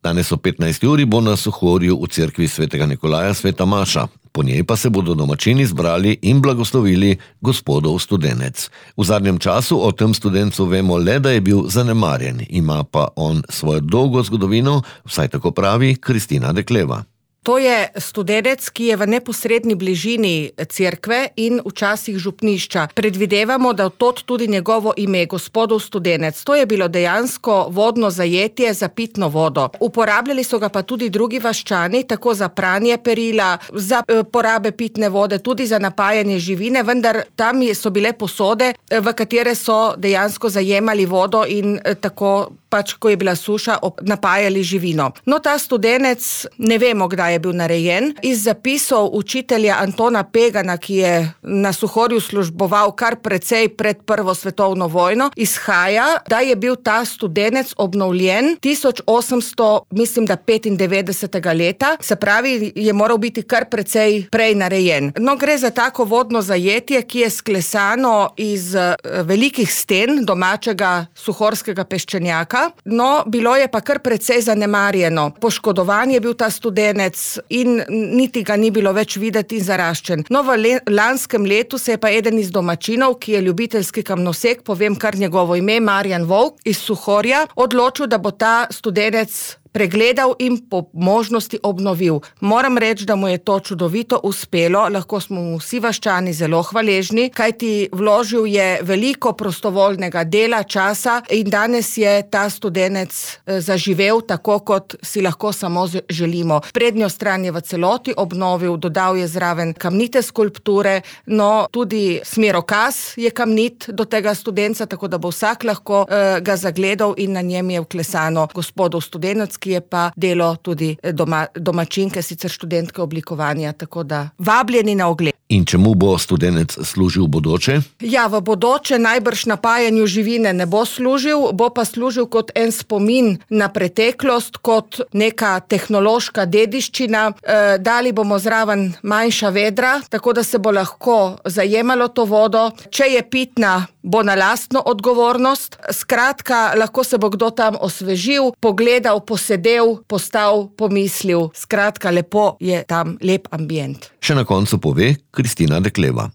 Danes o 15. uri bo na Suhorju v cerkvi svetega Nikolaja sveta maša. Po njej pa se bodo domačini zbrali in blagoslovili gospodov studenec. V zadnjem času o tem studencu vemo le, da je bil zanemarjen. Ima pa on svojo dolgo zgodovino, vsaj tako pravi Kristina Dekleva. To je studenec, ki je v neposredni bližini cerkve in včasih župnišča. Predvidevamo, da od tudi njegovo ime, gospodov studenec. To je bilo dejansko vodno zajetje za pitno vodo. Uporabljali so ga pa tudi drugi vaščani, tako za pranje perila, za porabe pitne vode, tudi za napajanje živine, vendar tam so bile posode, v katere so dejansko zajemali vodo in tako ko je bila suša, napajali živino. No, ta studenec, ne vemo, kdaj je bil narejen. Iz zapisov učitelja Antona Pegana, ki je na Suhorju služboval kar precej pred Prvo svetovno vojno, izhaja, da je bil ta studenec obnovljen 1895. leta, se pravi, je moral biti kar precej prej narejen. No, gre za tako vodno zajetje, ki je sklesano iz velikih sten domačega suhorskega peščenjaka. No, bilo je pa kar precej zanemarjeno. Poškodovan je bil ta studenec in niti ga ni bilo več videti in zaraščen. No, v lanskem letu se je pa eden iz domačinov, ki je ljubiteljski kamnosek, povem kar njegovo ime, Marjan Volk iz Suhorja, odločil, da bo ta studenec pregledal in po možnosti obnovil. Moram reči, da mu je to čudovito uspelo, lahko smo mu vsi vaščani zelo hvaležni, kajti vložil je veliko prostovoljnega dela, časa in danes je ta studenec zaživel tako, kot si lahko samo želimo. Prednjo stran je v celoti obnovil, dodal je zraven kamnite skulpture, no tudi smerokaz je kamnit do tega studenca, tako da bo vsak lahko ga zagledal in na njem je vklesano gospodov studenec, ki je pa delo tudi domačinke, sicer študentke oblikovanja, tako da vabljeni na ogled. In čemu bo studenec služil v bodoče? Ja, v bodoče najbrž napajanju živine ne bo služil, bo pa služil kot en spomin na preteklost, kot neka tehnološka dediščina. Dali bomo zraven manjša vedra, tako da se bo lahko zajemalo to vodo. Če je pitna, bo na lastno odgovornost. Skratka, lahko se bo kdo tam osvežil, pogledal, posedel, postal, pomislil. Skratka, lepo je tam, lep ambient. Še na koncu pove Kristina Dekleva.